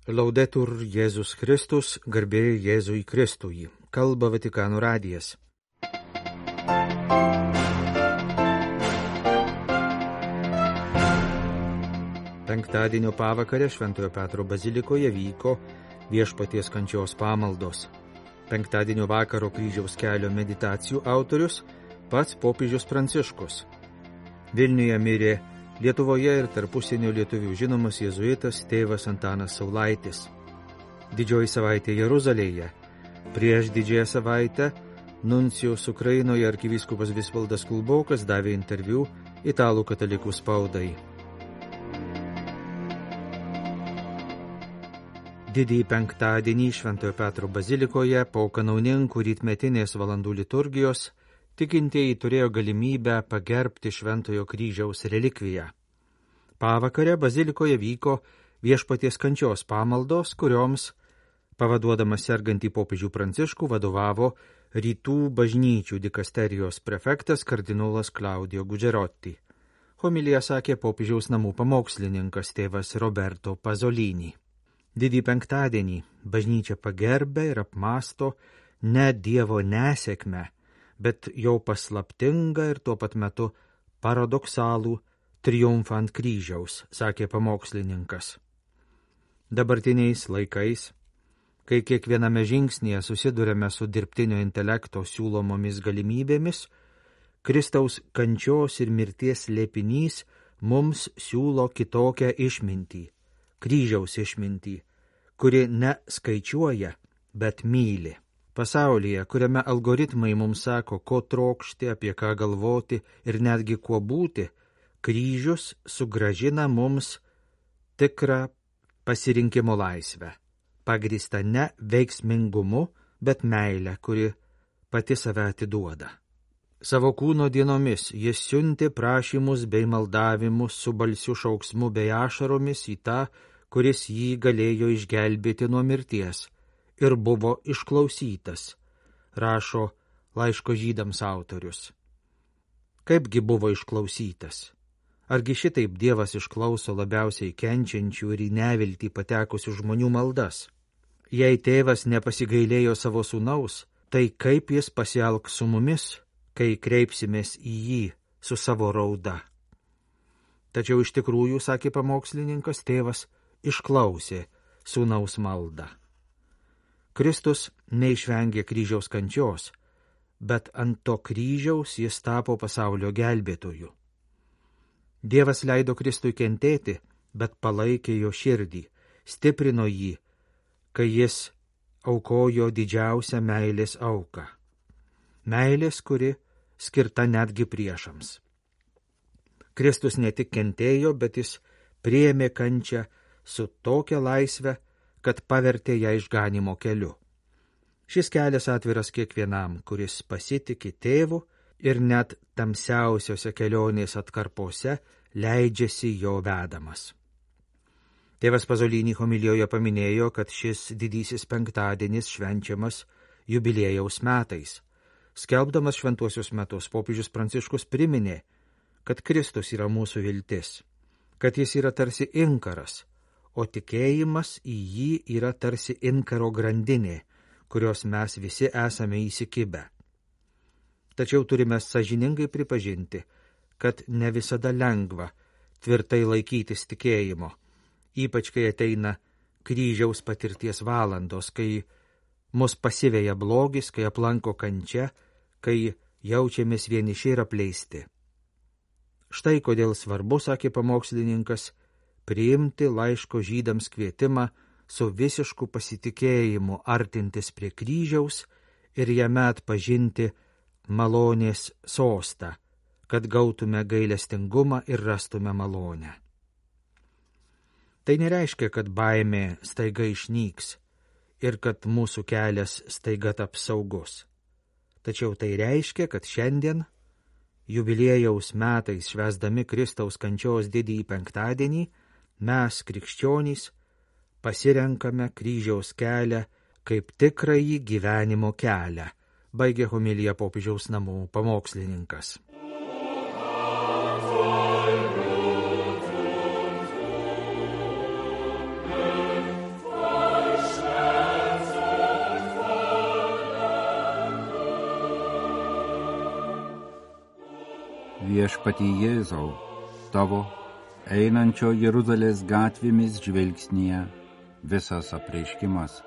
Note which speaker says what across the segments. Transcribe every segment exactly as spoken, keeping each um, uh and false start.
Speaker 1: Laudetur Jėzus Kristus, garbė Jėzui Kristui. Kalba Vatikano radijas. Penktadienio pavakarę Šventojo Petro bazilikoje vyko Viešpaties kančios pamaldos. Penktadienio vakaro kryžiaus kelio meditacijų autorius pats popiežius Pranciškus. Vilniuje mirė Lietuvoje ir tarp užsienio lietuvių žinomas jėzuitas tėvas Antanas Saulaitis. Didžioji savaitė Jeruzalėje. Prieš didžiąją savaitę nuncijus Ukrainoje arkivyskupas Visvaldas Kulbokas davė interviu italų katalikų spaudai. Didįjį penktadienį Šventojo Petro bazilikoje po kanauninkų rytmetinės valandų liturgijos tikintieji turėjo galimybę pagerbti Šventojo kryžiaus relikviją. Pavakarę bazilikoje vyko Viešpaties kančios pamaldos, kurioms, pavaduodamas sergantį popiežių Pranciškų, vadovavo Rytų bažnyčių dikasterijos prefektas kardinolas Claudio Gugerotti. Homiliją sakė popiežiaus namų pamokslininkas tėvas Roberto Pasolini. Didįjį penktadienį bažnyčia pagerbė ir apmąsto ne Dievo nesėkmę, bet jau paslaptingą ir tuo pat metu paradoksalų triumfą ant kryžiaus, sakė pamokslininkas. Dabartiniais laikais, kai kiekviename žingsnėje susidurėme su dirbtinio intelekto siūlomomis galimybėmis, Kristaus kančios ir mirties slėpinys mums siūlo kitokią išmintį, kryžiaus išmintį, kuri ne skaičiuoja, bet myli. Pasaulyje, kuriame algoritmai mums sako, ko trokšti, apie ką galvoti ir netgi kuo būti, kryžius sugrąžina mums tikrą pasirinkimo laisvę, pagrįstą ne veiksmingumu, bet meilę, kuri pati save atiduoda. Savo kūno dienomis jis siuntė prašymus bei maldavimus su balsiu šauksmu bei ašaromis į tą, kuris jį galėjo išgelbėti nuo mirties, ir buvo išklausytas, rašo laiško žydams autorius. Kaipgi buvo išklausytas? Argi šitaip Dievas išklauso labiausiai kenčiančių ir į neviltį patekusių žmonių maldas? Jei tėvas nepasigailėjo savo sūnaus, tai kaip jis pasielgs su mumis, kai kreipsimės į jį su savo rauda? Tačiau iš tikrųjų, sakė pamokslininkas, tėvas išklausė sūnaus maldą. Kristus neišvengė kryžiaus kančios, bet ant to kryžiaus jis tapo pasaulio gelbėtoju. Dievas leido Kristui kentėti, bet palaikė jo širdį, stiprino jį, kai jis aukojo didžiausią meilės auką. Meilės, kuri skirta netgi priešams. Kristus ne tik kentėjo, bet jis priėmė kančią su tokia laisve, kad pavertė ją išganimo keliu. Šis kelias atviras kiekvienam, kuris pasitiki tėvu ir net tamsiausiose kelionės atkarpose leidžiasi jo vedamas. Tėvas Pasolini homilijoje paminėjo, kad šis didysis penktadienis švenčiamas jubiliejaus metais. Skelbdamas šventuosius metus, popiežius Pranciškus priminė, kad Kristus yra mūsų viltis, kad jis yra tarsi inkaras, o tikėjimas į jį yra tarsi inkaro grandinė, kurios mes visi esame įsikibę. Tačiau turime sąžiningai pripažinti, kad ne visada lengva tvirtai laikytis tikėjimo, ypač kai ateina kryžiaus patirties valandos, kai mus pasiveja blogis, kai aplanko kančia, kai jaučiamės vieniši ir apleisti. Štai kodėl svarbu, sakė pamokslininkas, priimti laiško žydams kvietimą su visišku pasitikėjimu artintis prie kryžiaus ir jame atpažinti malonės sostą, kad gautume gailestingumą ir rastume malonę. Tai nereiškia, kad baimė staiga išnyks ir kad mūsų kelias staiga taps saugus. Tačiau tai reiškia, kad šiandien, jubiliejaus metais švęsdami Kristaus kančios didįjį penktadienį, mes, krikščionys, pasirenkame kryžiaus kelią kaip tikrąjį gyvenimo kelią, baigė homiliją popiežiaus namų pamokslininkas.
Speaker 2: Viešpatie Jėzau, tavo einančio Jeruzalės gatvėmis žvilgsnyje visas apreiškimas.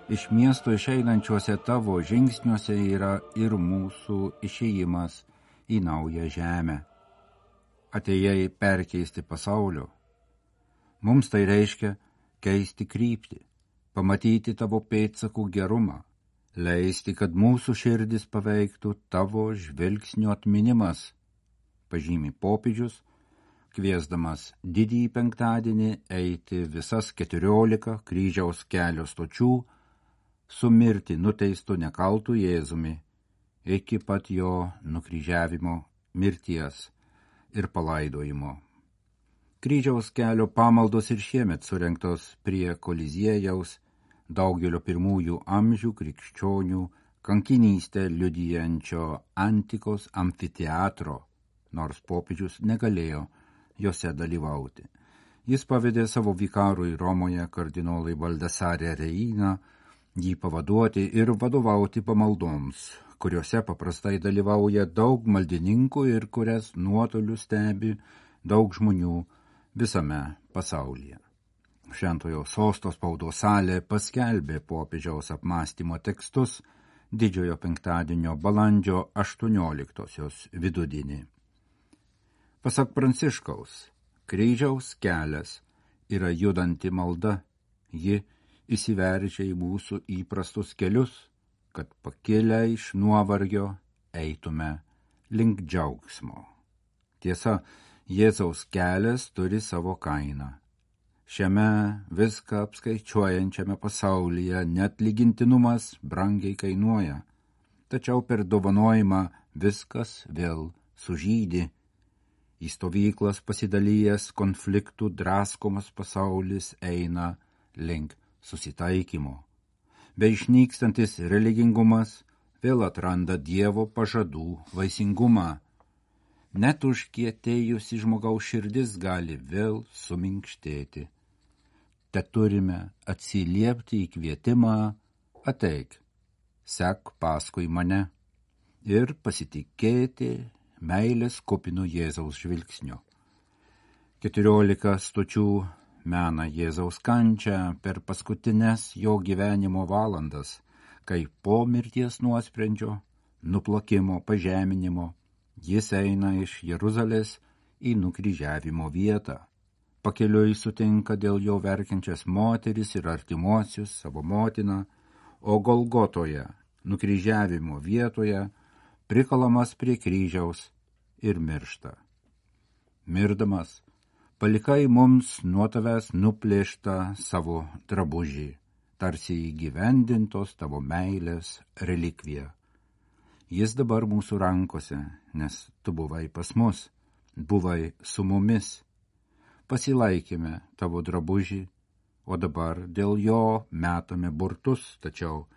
Speaker 2: Iš miesto išeinančiuose tavo žingsniuose yra ir mūsų išėjimas į naują žemę. Atėjai perkeisti pasaulio. Mums tai reiškia keisti kryptį, pamatyti tavo pėdsakų gerumą, leisti, kad mūsų širdis paveiktų tavo žvilgsnio atminimas, pažymi popiežius, kviesdamas didįjį penktadienį eiti visas keturiolika kryžiaus kelio stočių, su mirti nuteistu nekaltų Jėzumi, iki pat jo nukryžiavimo, mirties ir palaidojimo. Kryžiaus kelio pamaldos ir šiemet surengtos prie Koliziejaus, daugelio pirmųjų amžių krikščionių kankinystę liudijančio antikos amfiteatro, nors popiežius negalėjo jose dalyvauti. Jis pavedė savo vikarui Romoje kardinolai Baldasare Reina jį pavaduoti ir vadovauti pamaldoms, kuriuose paprastai dalyvauja daug maldininkų ir kurias nuotoliu stebi daug žmonių visame pasaulyje. Šventojo sosto spaudos salė paskelbė popiežiaus apmąstymo tekstus didžiojo penktadienio balandžio aštuonioliktosios vidudienį. Pasak Pranciškaus, kryžiaus kelias yra judanti malda, ji įsiveržia į mūsų įprastus kelius, kad pakilę iš nuovargio eitume link džiaugsmo. Tiesa, Jėzaus kelias turi savo kainą. Šiame viską apskaičiuojančiame pasaulyje net lygintinumas brangiai kainuoja, tačiau per dovanojimą viskas vėl sužydi. Į stovyklas pasidalijęs konfliktų draskomas pasaulis eina link susitaikymo. Beišnykstantis religingumas vėl atranda Dievo pažadų vaisingumą. Net užkietėjusi žmogaus širdis gali vėl suminkštėti. Te turime atsiliepti į kvietimą, ateik, sek paskui mane ir pasitikėti meilės kupinu Jėzaus žvilgsniu. Keturiolika stočių mena Jėzaus kančią per paskutines jo gyvenimo valandas, kai po mirties nuosprendžio, nuplakimo, pažeminimo, jis eina iš Jeruzalės į nukryžiavimo vietą. Pakeliui sutinka dėl jo verkiančias moteris ir artimuosius savo motiną, o Golgotoje, nukryžiavimo vietoje, prikalamas prie kryžiaus ir miršta. Mirdamas, palikai mums nuo tavęs nuplėštą savo drabužį, tarsi įgyvendintos tavo meilės relikvija. Jis dabar mūsų rankose, nes tu buvai pas mus, buvai su mumis. Pasilaikėme tavo drabužį, o dabar dėl jo metame burtus, tačiau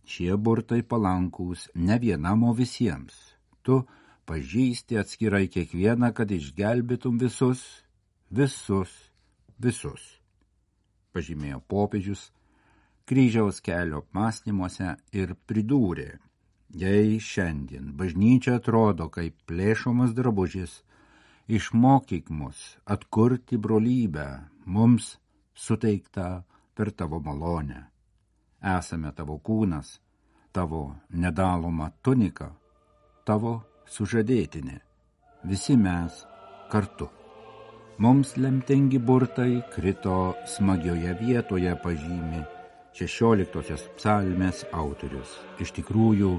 Speaker 2: šie burtai palankūs ne vienam, o visiems. Tu pažįsti atskirai kiekvieną, kad išgelbėtum visus, visus, visus. Pažymėjo popiežius kryžiaus kelio apmąstymuose ir pridūrė, jei šiandien bažnyčia atrodo kaip plėšomas drabužis, išmokyk mus atkurti brolybę, mums suteiktą per tavo malonę. Esame tavo kūnas, tavo nedaloma tunika, tavo sužadėtinė, visi mes kartu. Mums lemtingi burtai krito smagioje vietoje, pažymi šešioliktosios psalmės autorius. Iš tikrųjų,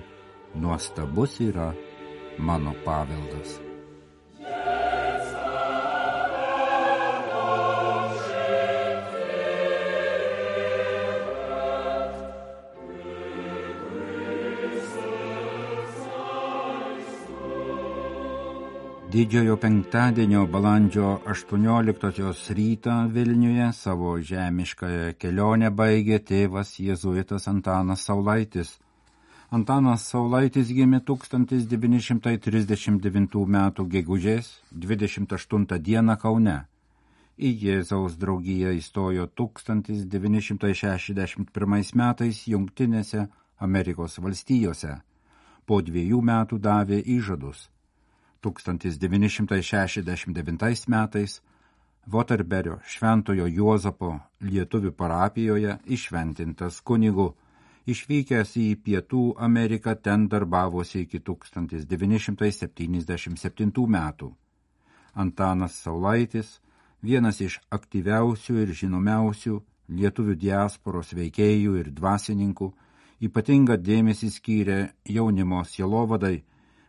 Speaker 2: nuostabus yra mano paveldas. Didžiojo penktadienio balandžio aštuonioliktosios rytą Vilniuje savo žemiškąją kelionę baigė tėvas jėzuitas Antanas Saulaitis. Antanas Saulaitis gimė tūkstantis devyni šimtai trisdešimt devintų metų gegužės dvidešimt aštuntą dieną Kaune. Į Jėzaus draugiją įstojo tūkstantis devyni šimtai šešiasdešimt pirmais metais Jungtinėse Amerikos valstijose. Po dviejų metų davė įžadus. tūkstantis devyni šimtai šešiasdešimt devintais metais Voterberio Šventojo Juozapo lietuvių parapijoje iššventintas kunigu, išvykęs į Pietų Ameriką, ten darbavosi iki tūkstantis devyni šimtai septyniasdešimt septintų metų. Antanas Saulaitis, vienas iš aktyviausių ir žinomiausių lietuvių diasporos veikėjų ir dvasininkų, ypatingą dėmesį skyrė jaunimo sielovadai,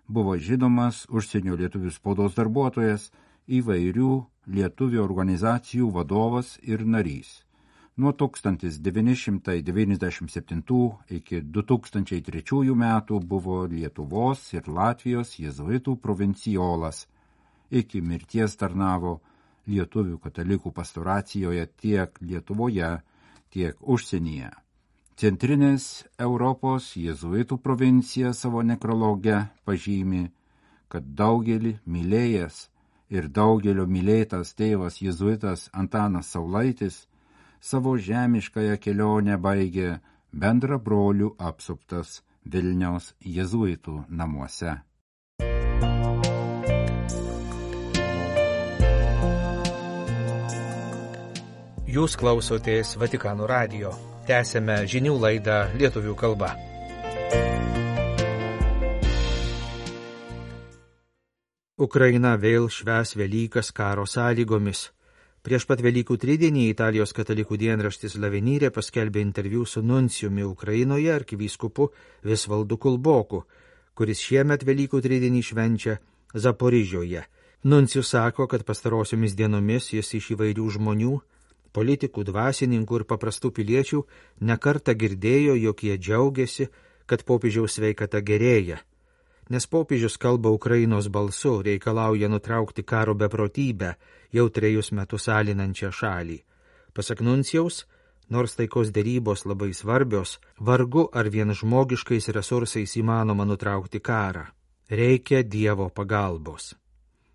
Speaker 2: buvo žinomas užsienio lietuvių spaudos darbuotojas, įvairių lietuvių organizacijų vadovas ir narys. Nuo tūkstantis devyni šimtai devyniasdešimt septintų iki du tūkstančiai trečiųjų metų buvo Lietuvos ir Latvijos jėzuitų provincijolas. Iki mirties tarnavo lietuvių katalikų pastoracijoje tiek Lietuvoje, tiek užsienyje. Centrinės Europos jėzuitų provincija savo nekrologe pažymi, kad daugelį mylėjęs ir daugelio mylėtas tėvas jėzuitas Antanas Saulaitis savo žemiškąją kelionę baigė bendra brolių apsuptas Vilniaus jėzuitų namuose.
Speaker 1: Jūs klausotės Vatikano radijo. Tęsėme žinių laidą lietuvių kalba. Ukraina vėl švęs Velykas karo sąlygomis. Prieš pat Velykų tridienį Italijos katalikų dienraštis Lavenyrė paskelbė interviu su nuncijumi Ukrainoje arkivyskupu Visvaldu Kulboku, kuris šiemet Velykų tridienį švenčia Zaporižioje. Nuncijus sako, kad pastarosiomis dienomis jis iš įvairių žmonių, politikų, dvasininkų ir paprastų piliečių nekartą girdėjo, jog jie džiaugiasi, kad popiežiaus sveikata gerėja. Nes popiežius kalba Ukrainos balsu, reikalauja nutraukti karo beprotybę, jau trejus metus alinančią šalį. Pasak nuncijaus, nors taikos derybos labai svarbios, vargu ar vien žmogiškais resursais įmanoma nutraukti karą. Reikia Dievo pagalbos.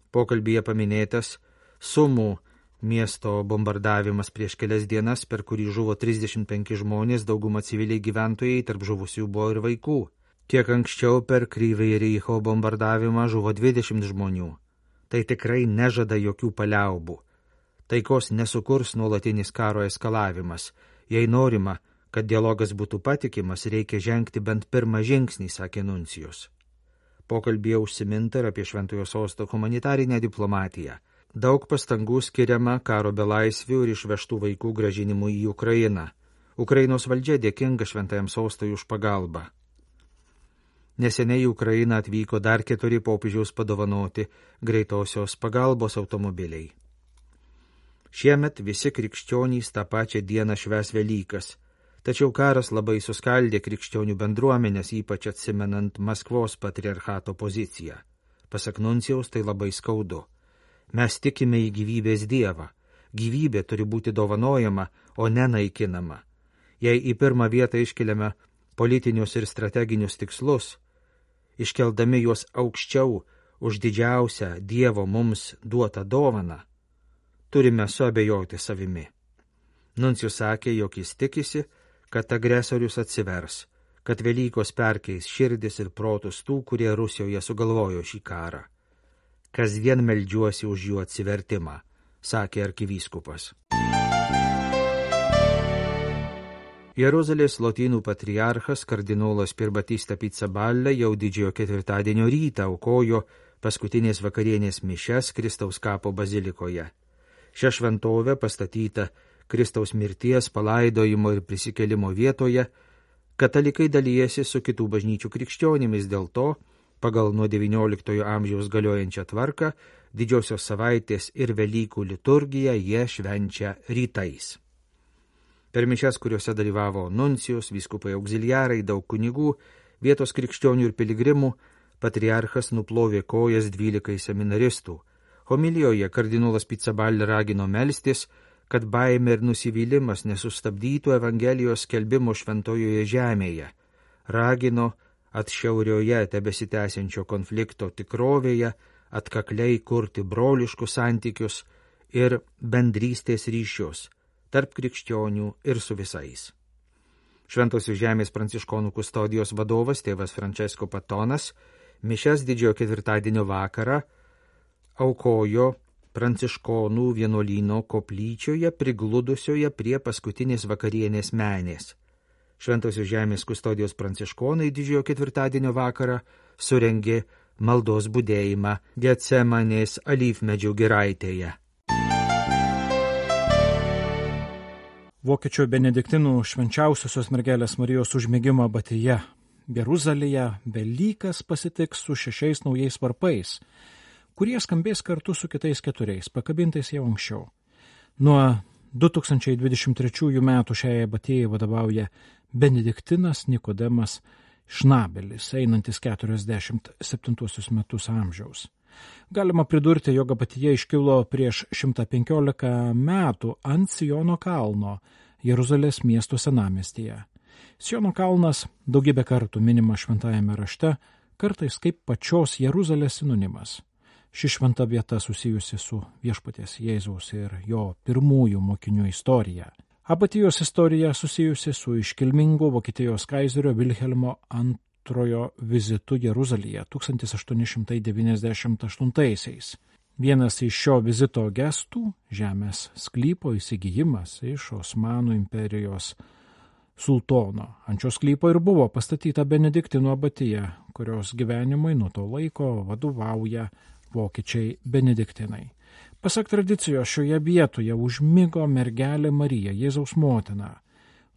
Speaker 1: Pokalbyje paminėtas Sumų miesto bombardavimas prieš kelias dienas, per kurį žuvo trisdešimt penki žmonės, dauguma civiliai gyventojai, tarp žuvusių buvo ir vaikų. Kiek anksčiau per Kryvąjį Reicho bombardavimą žuvo dvidešimt žmonių. Tai tikrai nežada jokių paliaubų. Taikos nesukurs nuolatinis karo eskalavimas. Jei norima, kad dialogas būtų patikimas, reikia žengti bent pirmą žingsnį, sakė nuncijus. Pokalbyje užsiminta ir apie Šventojo sosto humanitarinę diplomatiją. Daug pastangų skiriama karo belaisvių ir išvežtų vaikų grąžinimui į Ukrainą. Ukrainos valdžia dėkinga Šventajam sostui už pagalbą. Neseniai į Ukrainą atvyko dar keturi popiežiaus padovanoti greitosios pagalbos automobiliai. Šiemet visi krikščionys tą pačią dieną švęs Velykas, tačiau karas labai suskaldė krikščionių bendruomenės, ypač atsimenant Maskvos patriarchato poziciją. Pasak nuncijaus, tai labai skaudu. Mes tikime į gyvybės Dievą. Gyvybė turi būti dovanojama, o ne naikinama. Jei į pirmą vietą iškeliame politinius ir strateginius tikslus, iškeldami juos aukščiau už didžiausią Dievo mums duotą dovaną, turime suabejoti savimi. Nuncijus sakė, jog jis tikisi, kad agresorius atsivers, kad Velykos perkeis širdis ir protus tų, kurie Rusijoje sugalvojo šį karą. Kasdien meldžiuosi už jų atsivertimą, sakė arkivyskupas. Jeruzalės lotynų patriarchas kardinolas Pierbattista Pizzaballa jau didžiojo ketvirtadienio rytą aukojo paskutinės vakarienės mišias Kristaus kapo bazilikoje. Šią šventovę pastatyta Kristaus mirties, palaidojimo ir prisikelimo vietoje, katalikai dalijasi su kitų bažnyčių krikščionimis, dėl to, pagal nuo devynioliktojo amžiaus galiojančią tvarką, didžiosios savaitės ir Velykų liturgiją jie švenčia rytais. Per mišias, kuriuose dalyvavo nuncijus, vyskupai auxiliarai, daug kunigų, vietos krikščionių ir piligrimų, patriarchas nuplovė kojas dvylikai seminaristų. Homilijoje kardinolas Pizzaballa ragino melstis, kad baimė ir nusivylimas nesustabdytų Evangelijos skelbimo šventojoje žemėje. Ragino atšiaurioje tebesitęsiančio konflikto tikrovėje atkakliai kurti broliškus santykius ir bendrystės ryšius tarp krikščionių ir su visais. Šventosios žemės pranciškonų kustodijos vadovas tėvas Francesco Patonas Mišias didžiojo ketvirtadienio vakarą aukojo Pranciškonų vienuolyno koplyčioje prigludusioje prie paskutinės vakarienės menės. Šventosios žemės kustodijos pranciškonai didžiojo ketvirtadienio vakarą surengė maldos budėjimą Getsemanės alyvmedžių giraitėje.
Speaker 3: Vokiečių benediktinų švenčiausiosios mergelės Marijos užmigimo abatija Jeruzalėje Velykas pasitiks su šešiais naujais varpais, kurie skambės kartu su kitais keturiais, pakabintais jau anksčiau. Nuo du tūkstančiai dvidešimt trečiųjų metų šiai abatijai vadovauja benediktinas Nikodemas Šnabelis, einantis keturiasdešimt septintuosius metus amžiaus. Galima pridurti, jog abatija iškilo prieš šimtą penkiolika metų ant Siono kalno Jeruzalės miesto senamiestyje. Siono kalnas daugybę kartų minimas šventajame rašte, kartais kaip pačios Jeruzalės sinonimas. Ši šventa vieta susijusi su viešpaties Jėzaus ir jo pirmųjų mokinių istorija. Abatijos istorija susijusi su iškilmingu Vokietijos kaizerio Vilhelmo antrojo vizitu Jeruzalėje tūkstantis aštuoni šimtai devyniasdešimt aštuntaisiais. Vienas iš šio vizito gestų – žemės sklypo įsigijimas iš Osmanų imperijos sultono. Ant šio sklypo ir buvo pastatyta benediktinų abatija, kurios gyvenimui nuo to laiko vadovauja vokiečiai benediktinai. Pasak tradicijos, šioje vietoje užmigo mergelė Marija, Jėzaus motina.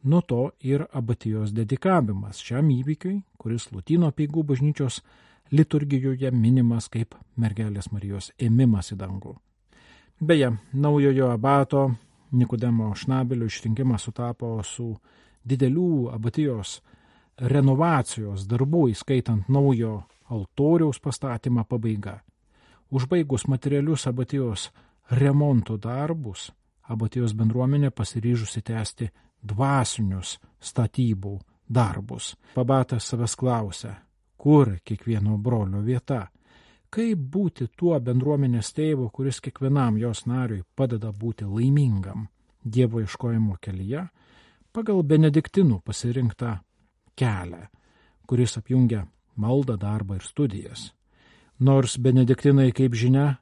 Speaker 3: Nuo to ir abatijos dedikavimas šiam įvykiui, kuris Lotynų apeigų bažnyčios liturgijoje minimas kaip mergelės Marijos ėmimas į dangų. Beje, naujojo abato Nikodemo Šnabelio išrinkimas sutapo su didelių abatijos renovacijos darbų, įskaitant naujo altoriaus pastatymą pabaiga. Užbaigus materialius abatijos remonto darbus, abatijos bendruomenė pasiryžusi tęsti dvasinius statybų darbus. Abatas savęs klausia, kur kiekvieno brolio vieta, kaip būti tuo bendruomenės tėvu, kuris kiekvienam jos nariui padeda būti laimingam Dievo ieškojimo kelyje, pagal benediktinų pasirinktą kelią, kuris apjungia maldą, darbą ir studijas. Nors benediktinai, kaip žinia,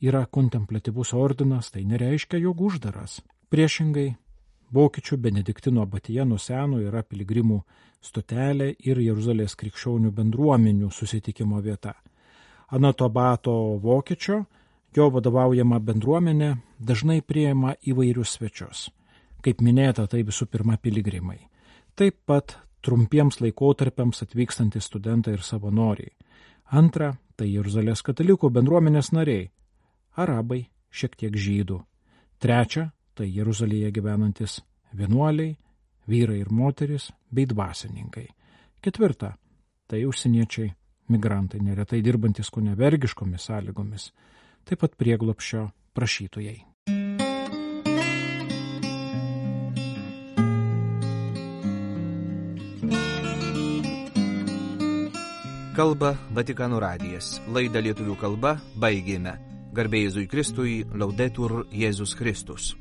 Speaker 3: yra kontemplatyvus ordinas, tai nereiškia, jog uždaras. Priešingai, vokiečių benediktino abatija nuo seno yra piligrimų stotelė ir Jeruzalės krikščionių bendruomenių susitikimo vieta. Anot abato vokiečio, jo vadovaujama bendruomenė dažnai priima įvairius svečius. Kaip minėta, tai visų pirma piligrimai. Taip pat trumpiems laikotarpiams atvykstantys studentai ir savanoriai. Antra, tai Jeruzalės katalikų bendruomenės nariai, arabai, šiek tiek žydų. Trečia, tai Jeruzalėje gyvenantis vienuoliai, vyrai ir moteris bei dvasininkai. Ketvirta, tai užsieniečiai, migrantai, neretai dirbantis kone vergiškomis sąlygomis, taip pat prieglobsčio prašytojai.
Speaker 1: Kalba Vatikano radijas. Laidą lietuvių kalba baigėme. Garbė Jėzui Kristui, Laudetur Jėzus Kristus.